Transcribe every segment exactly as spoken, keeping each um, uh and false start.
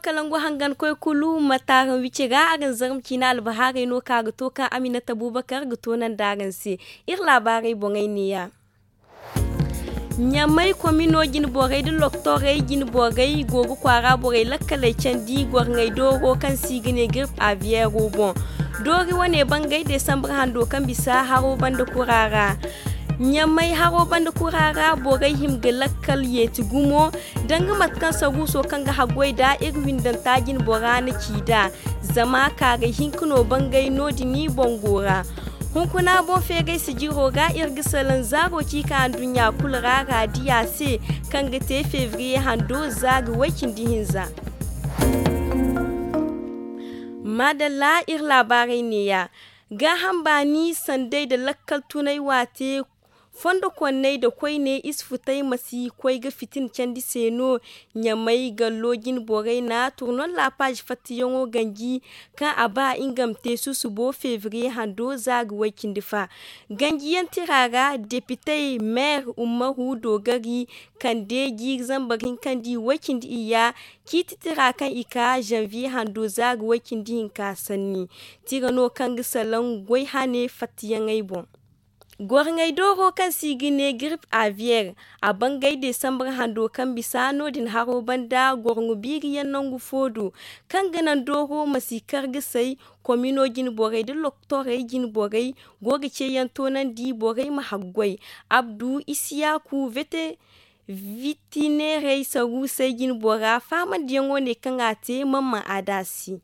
Kalangu hangan koy kulu ma taaran wici ra araŋ zarma ciina albahaarey no kaŋ a ga to kaŋ aminata buubakar ga toonandi araŋ se. Iri laabaarey boŋey neeya. Ɲamay komino jine borey nda loktorey jine borey go ga kwaara borey lakkaley candi gorŋey dooro kaŋ se i ga ne girip aviyeero boŋ. Doori wane bangay desambar hando kaŋ bisa haro banda kura ra. Ɲamay haro banda kura ra borey hima ga lakkal yeeti gumo danga mate kaŋ saruuso kaŋ ga haggoy nd'a iri windanta jine bora na ci nd'a. Zama kaaray hinka no bangay no- din boŋ go ra. Hunkuna boŋ feeray sijiro ga iri ga salaŋ zaaro ci ka anduɲɲa kulu ra raadiya se, kaŋ ga te febriye hando za ga way-cindi-hinza. Maadalla iri laabaarey neeya. Gaaham baani sanday nda lakkal tunay waate fondo konney nda koyne isfutey ma si koy ga fitina candi se no. Ɲamay gallo jine borey na turnon laapaazi fattiyaŋo ganji kaŋ a ba nga ma te susubo febriye hando za ga way-cindi fa. Ganjiyaŋ tira ra depitey meer ummaru doogari kande jiiri zambar hinkandi way-cindi iyya ciiti tira kaŋ i ka zanviye hando za ga way-cindi hinka sanni. Tira no kaŋ ga salaŋ goy hane fattiyaŋey boŋ. Gorŋey dooro kaŋ se i ga ne girip aviyeer a bangay desambar hando kaŋ bisa no- din haro banda gorŋo biiriyaŋ nangu fo do kaŋ ga naŋ dooro ma si kar ga say. Komino jine borey nda loktorey jine borey go ga ceeyaŋ toonandi borey ma haggoy. Abdu isiyaku vete vitineerey saruusey jine bora faamandiyaŋo ne kaŋ a te mamman aada se.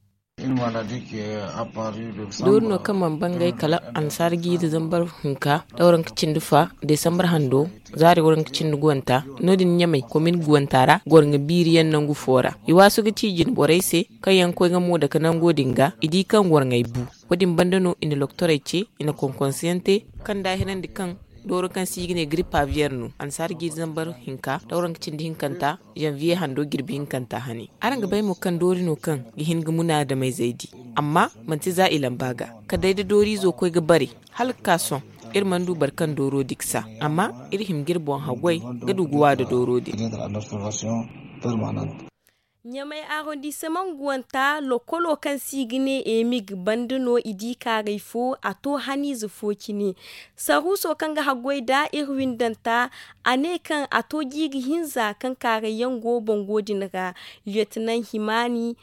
Doori no kaŋ mana bangay kala annasaara jiiri zambar hinka da waranka cindi fa desambar hando zaari waranka cindi guwanta. No- din ɲamay komin guwanta ra gorŋa biiriyaŋ nangu fo ra i waasu ga ci jine borey se kaŋ yaŋ ga koy ga mo dake nango din ga i di kaŋ gorŋey bu. Wo- din banda no i na loktorey ce i na konkonsiyaŋ te kaŋ daahirandi kaŋ dooro kaŋ se i ga ne giripa biyeer no annasaara jiiri zambar hinka da waranka cindi hinkanta zanviye hando jirbi hinkanta hane. Araŋ ga bay mo kaŋ doori no kaŋ ga hin ga munaadamey zaydi amma manti za i lamba ga kala day da dooriizo koy ga bare hala ga ka sohõ. Iri mana du boro kaŋ dooro diksa amma iri hima ga iri boŋ haggoy ga du ga wa nda dooro din. Ɲamay arondissement guwanta lokolo kaŋ se i ga ne emig banda no i di kaaray fo a to haniize fo cine. Saruuso kaŋ ga haggoy nda iri windanta a ne kaŋ a to jiiri hinza kaŋ kaarayyaŋ go bango din ra. Lieutenant himaani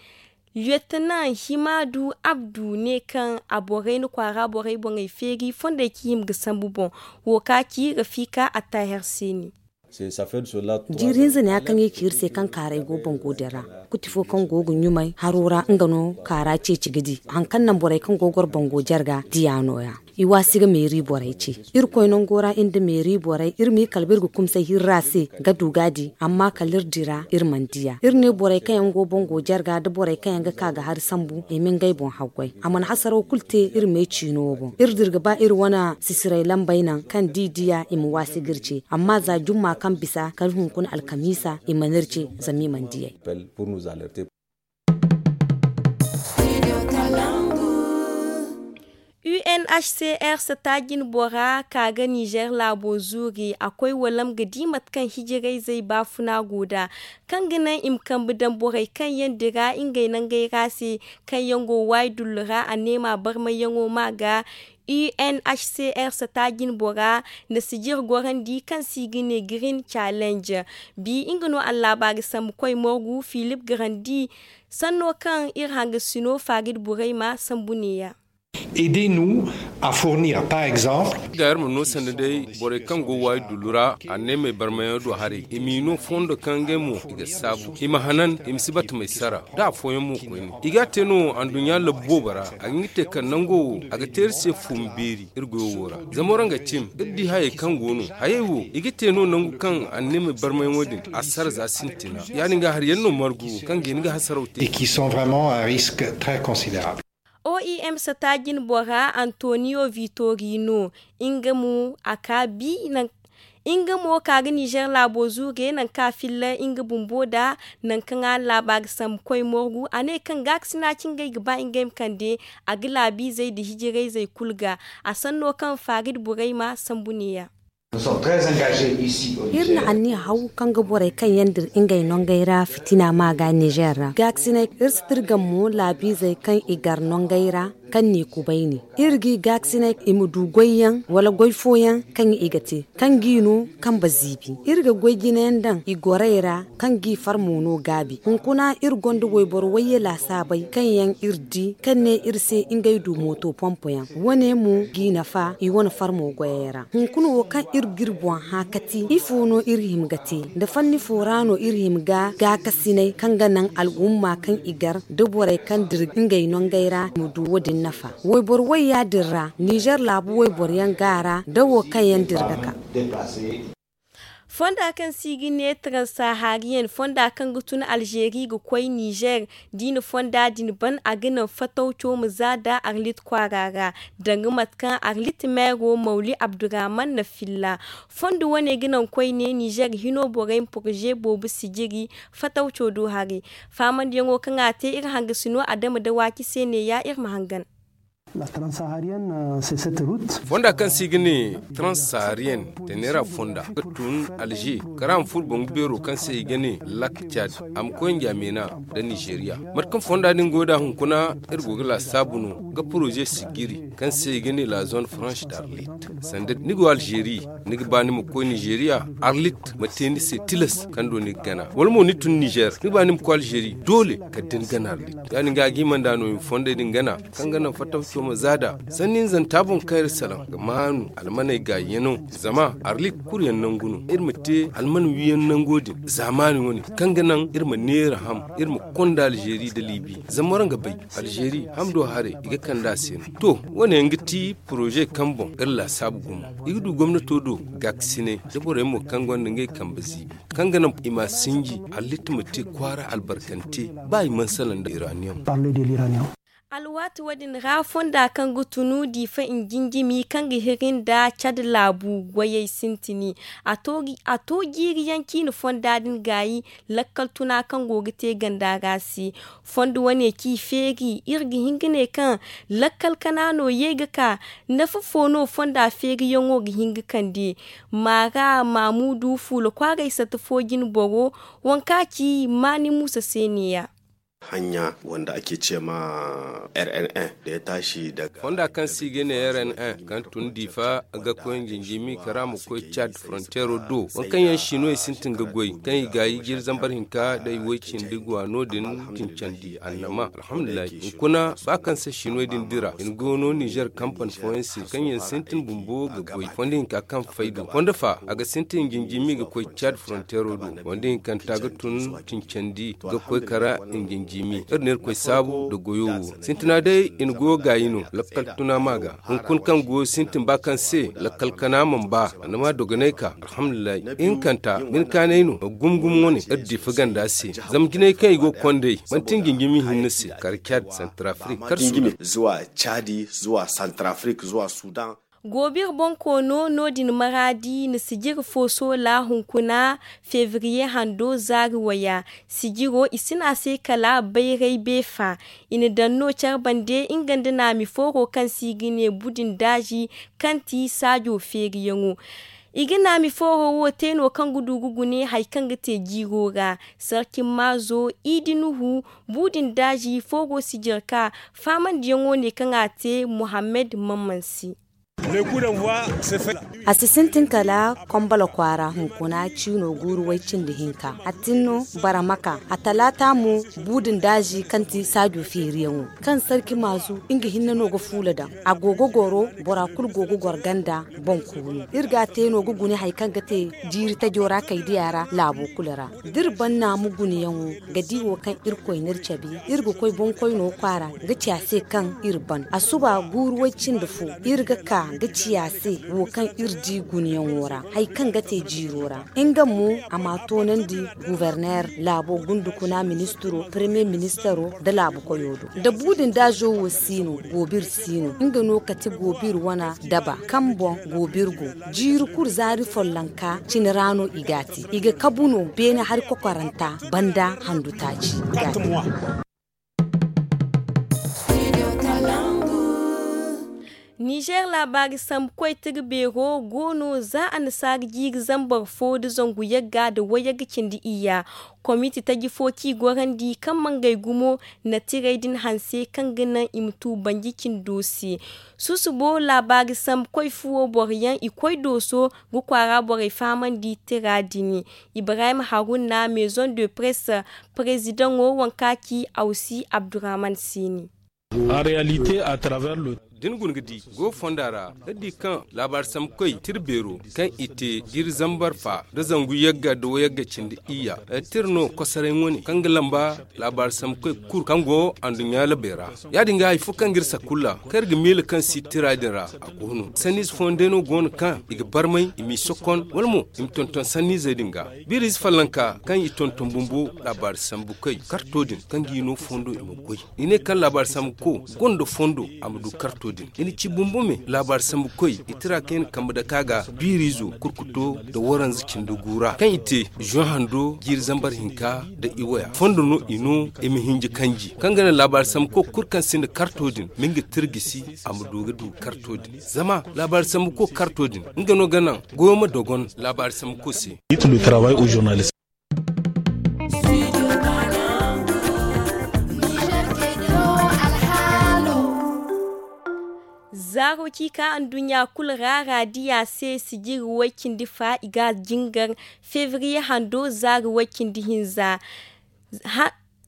lieutenant himaadu abdu ne kaŋ a borey na kwaara borey boŋey feeri fondey kaŋ i hima ga sambu boŋ. Wo ka ci rafiika attaher se ne. Jiiri hinza ne ya kaŋ i ci iri se kaŋ kaaray go bango din ra. Kuti fo kaŋ go ga ɲumay haro ra nga no kaara ceeci ga di hari kaŋ naŋ borey kaŋ go ga goro bango jarga diya no- ya. I waasi ga meeri borey ce. Irkoy nango ra iri nda meeri borey iri m'i kala ba iri ga kumsay hirra se ga du ga a di amma kala iri dira iri mana diya iri ne borey kaŋ yaŋ go bango jarga nda borey kaŋ yaŋ ga ka ga hari sambu i ma ngey boŋ haggoy. A mana hasaraw kulu te iri me ciino boŋ iri dira ga ba iri wane sisiray lambey naŋ kaŋ da i diya i ma waasi ga iri ce. Amma za jumma kaŋ bisa kala hunkuna alkamiisa i mana iri ce zama i mana diyay. Unhcr sata jine bora ka ga nizer laabo zuuri a koy walam ga di mate kaŋ hijirayzey baafuna go nd'a kaŋ ga naŋ i ma kambe daŋ borey kaŋ yaŋ dira ngey nangey ra se kaŋ yaŋ go waayi dullu ra a ne ma barmayyaŋo ma ga. Unhcr sata jine bora na sijir gorandi kaŋ se i ga ne green challenge. Bi nga no allaaba ga sambu koy morgu filip grandi sanno kaŋ iri hangasino farid burayma sambu neeya. Aidez-nous à fournir par exemple. Ga iri ma no sanda day borey kaŋ go waayi dullu ra anneemey barmayaŋo do haray i m'i no fondo kaŋ ngey mo i ga saabu i ma hanan i ma si batamey sara da afooyaŋ mo koyne i ga a te no anduɲɲa labbu boobo ra. A ga nga te kaŋ nango wo a ga te iri se fuumi beeri iri goyo wo ra. Zama waraŋ ga cim iri di hayey kaŋ go no hayey wo i ga te no nangu kaŋ anneemey barmayaŋo din a sara za sintina ya- din ga hari yaŋ no margu kaŋ ga hin ga hasaraw te. Oem sata jine bora antonio vitorino nga mo a ka bi naŋ nga mo ka ga nizer laabo zuure naŋ kaŋ a filla nga bumbo nda naŋ kaŋ a laaba ga sambu koy morgu a ne kaŋ gaakasina ci ngey ga ba ngey ma kande a ga laabiizey nda hijirayzey kulu ga. A sanno kaŋ farid burayma sambu neeya. Iri na anniya haw kaŋ ga borey kaŋ yaŋ dira ngey nongey ra fitina ma ga nizer ra gaakasinay. Iri si tirgam mo laabiizey kaŋ i gar nongey ra kaŋ n'i kubayni. Iri g'i gaakasinay i ma du goyyaŋ wala goy fooyaŋ kaŋ i ga te kaŋ g'i no kambe ziibi. Iri ga goy jinayaŋ daŋ i gorey ra kaŋ g'i far mo no gaabi. Hunkuna iri gonda wayboro wayye laasaabey kaŋ yaŋ iri di kaŋ ne iri se ngey du mooto pompoyaŋ. Wo- ne mo g'i nafa i wane far mo goyey ra. Hunkuna wo kaŋ iri g'iri boŋ hã ka ti ifo no iri hima ga te? Nda fanni fo ra no iri hima ga gaakasinay kaŋ ga naŋ al'umma kaŋ i gar nda borey kaŋ dira ngey nongey ra i ma du wo- din nafa. Wayboro wayya din ra nizer laabu wayboro yaŋ gaara nda wo kaŋ yaŋ dira ga ka. Fonda kaŋ se i ga ne transahariyen fonda kaŋ ga tun alzeeri ga koy nizer. Da i na fonda din ban a ga naŋ fatawco ma za da arlit kwaara ra, danga mate kaŋ arlit meero mawli abdurrahman na filla. Fondo wane ga naŋ koyne nizer hino borey ma poroze boobo sijiri fatawco do haray. Faamandiyaŋo kaŋ a te iri hangasino adama dawaaci se neeya iri ma hangan. Fonda kaŋ se i ga ne transahariyen tenera fonda ga tun alze kara ma furo bangu beero kaŋ se i ga ne lak cad a ma koy njamena nda nizeriya. Mate kaŋ fonda din go da hunkuna iri go ga laasaabu no ga poroze sijiri kaŋ se i ga ne la zone franche d'arlit. Sanda ni go alzeeri ni ga ba ni ma koy nizeriya, arlit ma te ni se tilas kaŋ do ni ga gana wala mo ni tun nizer ni ga ba ni ma koy alzeeri doole kala da ni gana arlit. Ya- din ga a ga hima nd'a no i ma fondey din gana kaŋ ga naŋ fattaw coma zaada sanni hinzanta boŋ kaŋ iri salaŋ ga maanu almaney gaayi yaŋo. Zama arlit kulu yaŋ nangu no iri ma te alman wiyaŋ nango din zaamaani wane kaŋ ga naŋ iri ma neera ham iri ma konda alzeeri nda liibi. Zama waraŋ ga bay alzeeri ham do haray i ga kand'a se no. To, wane yaŋ ga ti poroze kaŋ boŋ iri laasaabu gumo i ga du gomnato do gaakasinay nda borey mo kaŋ gonda ngey kambe ziibi kaŋ ga naŋ i ma sinji arlit ma te kwaara albarkante ba i mana salaŋ nda iranium. Alwaati wo-din ra fonda kaŋ ga tunu diifa njinjimi kaŋ ga hiri nda cad laabu goyey sintini. A to jiiri yaŋ ciine fonda din gaayi lakkal tuna kaŋ go ga te ganda ra se. Fondo wane ci feeri iri ga hin ga ne kaŋ lakkal kana no ye ga ka. Nafa fo no fonda feeriyaŋo ga hin ga kande? Maara maamudu fuula kwaaray sata fo jine boro wanka ci maani muusa se neeya. Hanya wanda ake ce ma r n n da ya tashi daga fonda kaŋ se i ga ne r n n kaŋ tun diifa ga koy njinjimi kara ma koy cad frontiero do waŋ kaŋ yaŋ sinwey sintin ga goy kaŋ i gaayi jiri zambar hinka day woy cindi go a no- din. Tincandi annama alhamdulillahi hunkuna ba kaŋ se sinwey din dira i na go no nizer kampan fooyaŋ se kaŋ yaŋ sintin bumbo ga goy fondo hinka kaŋ fay do fondo fa a ga sintin njinjimi ga koy cad frontiero do. Wanda hinkanta ga tun tincandi ga koy kara njinjimi iri na irkoy saabu nda goyo wo. Sintina day i na goyo gaayi no lakkal tuna ma ga hunkuna kaŋ goyo sintin ba kaŋ se lakkal kana mana ba. Annama dogonay ka alhamdulillahi hinkanta bine kaanay no gumgum wane iri diifa ganda se. Zama jinay kaŋ i go ga konday manti njinjimi hinne se kara cad santarafrik kar sudan. Zuwa cadi zuwa santarafrik zuwa sudan. Goobir bonkoono no- din maraadi na sijiri fo soola hunkuna febriye hando zaari waya. Sijiro i si ne a se kala bayray beefa. I na daŋ no care bande nga nda naami fooro kaŋ se i ga ne budin daazi kaŋ ti saajo feeriyaŋo. I ga naami fooro wo te no kaŋ ga du ga gune hari kaŋ ga te jiiro ra. Sarki maazo idi nuhu budin daazi fooro sijiri ka faamandiyaŋo ne kaŋ a te muhammad mamman se. A si sintin kala kombala kwaara hunkuna ciino guuru way cindi hinka a tin no bara maka a talaata mo. Buudin daazi kaŋ ti saajo feeriyaŋo kaŋ sarki maazu nga hinne no ga fuula daŋ. A go ga goro bora kulu go ga goro ganda boŋ kuuno iri ga a te no ga gune hari kaŋ ga te jiiri tajo ra kaydiya ra laabo kulu ra. Da iri ban naamu guneyaŋo ga di wo kaŋ irkoy n'iri cabe iri ga koy boŋkoyno kwaara ga ci a se kaŋ iri ban a suba guuru way cindi fo. Iri ga ka ga ci a se wo kaŋ iri di guneyaŋo ra hari kaŋ ga te jiiro ra. Nga mo a ma a toonandi guberner laabo gundukuna ministiro premier ministiro nda laabu koyo do. Da buudin daazo wo si no goobir si no nga no kati goobir wana daba kaŋ boŋ goobir go. Jiiri kulu zaari follonka cine ra no i ga a te i ga kabu no beene hari kokoranta banda handu taaci. I ga a te. Nizeer laabaari sambu koy tira beero go no za annasaara jiiri zambar fo nda zangu yagga nda wayagga cindi iyya. Komiti taji fo kaŋ i gorandi kaŋ mangey gumo na tirey din hanse kaŋ ga naŋ i ma tu banji cindo se. Susubo laabaari sambu koy fuwo boro yaŋ i koy dooso ga kwaara borey fahamandi tira din. Ibrahim haruna maison de presse, perezidaŋo waŋ kaŋ a ci awsi abdurrahman seeni. Da ni guna ga di go fonda ra, da di kaŋ laabaari sambu koy tira beero kaŋ i te jiiri zambar fa nda zangu yagga nda wayagga cindi iyya, tira no kosoray wane kaŋ ga lamba laabaari sambu koy kulu kaŋ go anduɲɲa labey ra. Ya- din ga hari fo kaŋ ga iri sakulla kaŋ iri ga miila kaŋ si tira din ra, a go no sanniize fooyaŋ day no go no kaŋ i ga barmay i m'i sokon wala mo i ma tonton sanniizey din ga. Biiriize fallanka kaŋ i tonton bumbo laabaari sambu koy karto din kaŋ ga i no fondo i ma goy. I ne kaŋ laabaari sambu ko gonda fondo a ma du karto din i na ci bumbo me laabaari sambu koy i tira kaŋ i na kambe dake a ga biiriizo kurkuto nda waranza cindi gu ra kaŋ i te zoŋ hando jiiri zambar hinka nda iwaya fondo no i no i ma hinji kanji kaŋ ga naŋ laabaari sambu ko kulu kaŋ sinda karto din ma nga tira gisi a ma du ga du karto din. Zama laabaari sambu ko karto din nga no ga naŋ goyo ma dogon laabaari sambu ko se. Zaaro ci ka anduɲɲa kulu ra raadiya se sijiri way-cindi fa i ga jingar febriye hando zaari way-cindi hinza.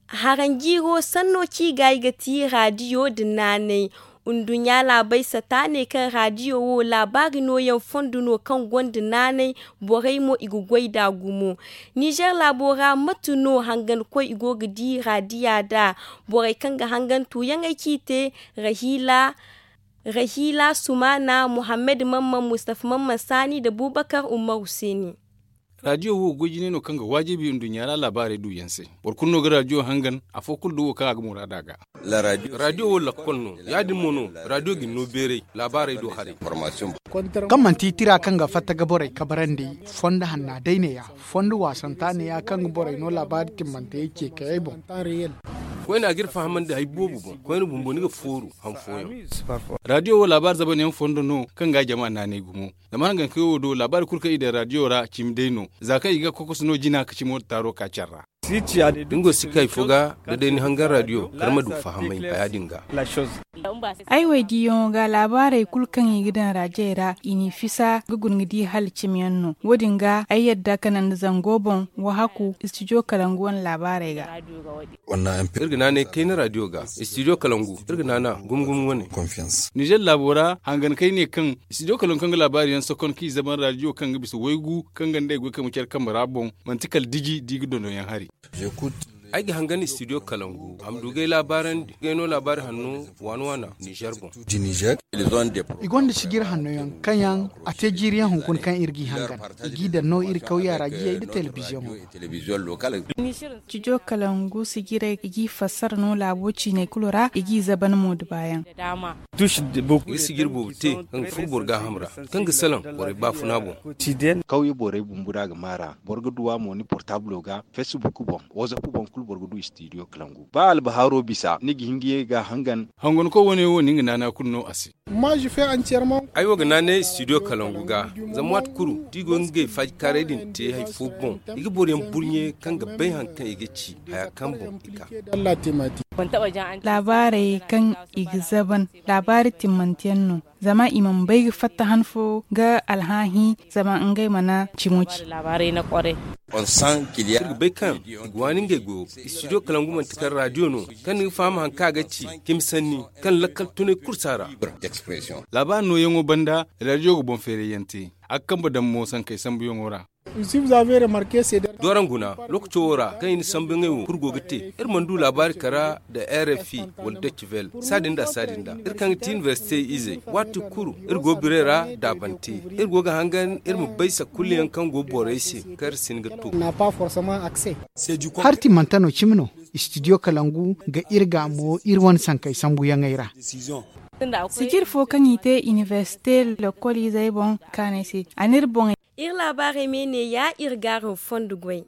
Haranjiiro sanno ci ga i ga ti raadiyo nda naanay. Nduɲɲa laabey sata ne kaŋ raadiyo wo laabaari nooyaŋ fondo no kaŋ gonda naanay. Borey mo i ga goy nd'a gumo. Nizeer laabo ra mate no hangankoy i go ga di raadiya nd'a? Borey kaŋ ga hangan tuuyaŋey kaŋ i te, rahiila sumaana, muhammad mamman, mustafa mamman saani nda buubakar umaru seeni. Raadiyo wo goy jinay no kaŋ ga waajibi nduɲɲa ra laabaarey duuyaŋ se. Boro kulu no ga raadiyo hangan. Afo kulu do wo kaŋ a ga muraada ga. Raadiyo wo lakkol no. Ya- din mo no raadiyo ga ni no beeray laabaarey do haray. Kaŋ manti tira kaŋ ga fatta ga borey kabarandi fondo hanna day neeya, fondo waasanta neeya kaŋ ga borey no laabaari timmanteyey ce kayey boŋ. Koyne a ga iri fahamandi hari boobo boŋ. Koyne bumbo ni ga fooru han fooyaŋ. Raadiyo wo laabaari zabanyaŋ fondo no kaŋ ga jama naanay gumo. Zama hangankoy wo do laabaari kulu kaŋ i daŋ raadiyo ra cimi day no. Za kaŋ i ga kokoso no jina ka cimo taaro ka care ra. Dingo si kay fo ga da day ni hangan raadiyo kar ma du fahamay haya din ga. Ay waydiyaŋo ga laabaarey kulu kaŋ i ga daŋ raajey ra i n'i fisa ga guna ga di hala cimiyaŋ no. Wo- din ga ay yadda ka naŋ nda zango boŋ wahaku istidiyo kalangu wane laabaarey ga. Iri ga naanay kayna raadiyo ga istidiyo kalangu iri ga naana gumo gumo wane. Nizer laabo ra hangan kay ne kaŋ istidiyo kalangu kaŋ ga laabaari yaŋ sokon kaŋ i zaban raadiyo kaŋ ga bisa waygu kaŋ ga nd'ey goy kaŋ ma care kambe ra boŋ. Manti kala diji da i ga dondonyaŋ hari. Ay ga hangan istidiyo kalangu a ma du ga ay laabaarandi ga ay no laabaari hanno waana waana nizer boŋ. I gonda sijir hanno yaŋ kaŋ yaŋ a te jiiri yaŋ hunkuna kaŋ iri g'i hangan. I g'i daŋ no iri kawya ra jiyey nda telebiziyoŋo. Cijo kalangu sijirey i g'i fassara no laabo ciiney kulu ra i g'i zaban mo nda baayaŋ. I ga sijir boobo te kaŋ ga furo boro gaaham ra kaŋ ga salaŋ borey baafuna boŋ. Kawye borey bumbo da a ga maara boro ga duw'a mo ni portablo ga, fesbuk boŋ, wazap boŋ kulu boro ga du istidiyo kalangu ba albahaaro bisa ni ga hin ga ye ga hangan. Hanganko wane wo ni nga naana kulu no a se. Ay wo ga naanay istidiyo kalangu ga. Zama waati kulu da i go ga ngey faajikaaray din te hari fo boŋ i ga boroyaŋ burɲe kaŋ ga bay hari kaŋ i ga ci haya kaŋ boŋ i kaa. Laabaarey kaŋ i ga zaban laabaari timmanteyaŋ no. Zama i mana bay ga fatta han fo ga alhaahi zama ngey mana cimo ci. Iri ga bay kaŋ i ga waani ngey goyo. Istidiyo kalangu manti kala raadiyo no kaŋ ni ga faham hari kaŋ a ga ci cimi sanni kaŋ lakkal tunay kulu si a ra. Laabaari nooyaŋo banda raadiyo ga boŋ feerayyaŋ te. A ga kambe daŋ mo sankey sambuyaŋo ra. D'araŋ guna lookaco wo ra kaŋ i na sambuyaŋey wo kulu go ga te. Iri mana du laabaari kara nda rfi wala docivel saadin nda saadin nda iri kaŋ ga ti inibersite izey waati kulu iri go biray ra daabante. Iri go ga hangan iri ma bay sakulliyaŋ kaŋ go borey se kaŋ iri si hin ga to. Hari timmante no cimi no. Istidiyo kalangu ga iri ga mo iri wane sankey sambuyaŋey ra. Sijir fo kaŋ i te inibersite lokoliizey boŋ kaanay se a n'iri boŋey. Iri laabaarey me neeya iri g'araŋ fondo goy.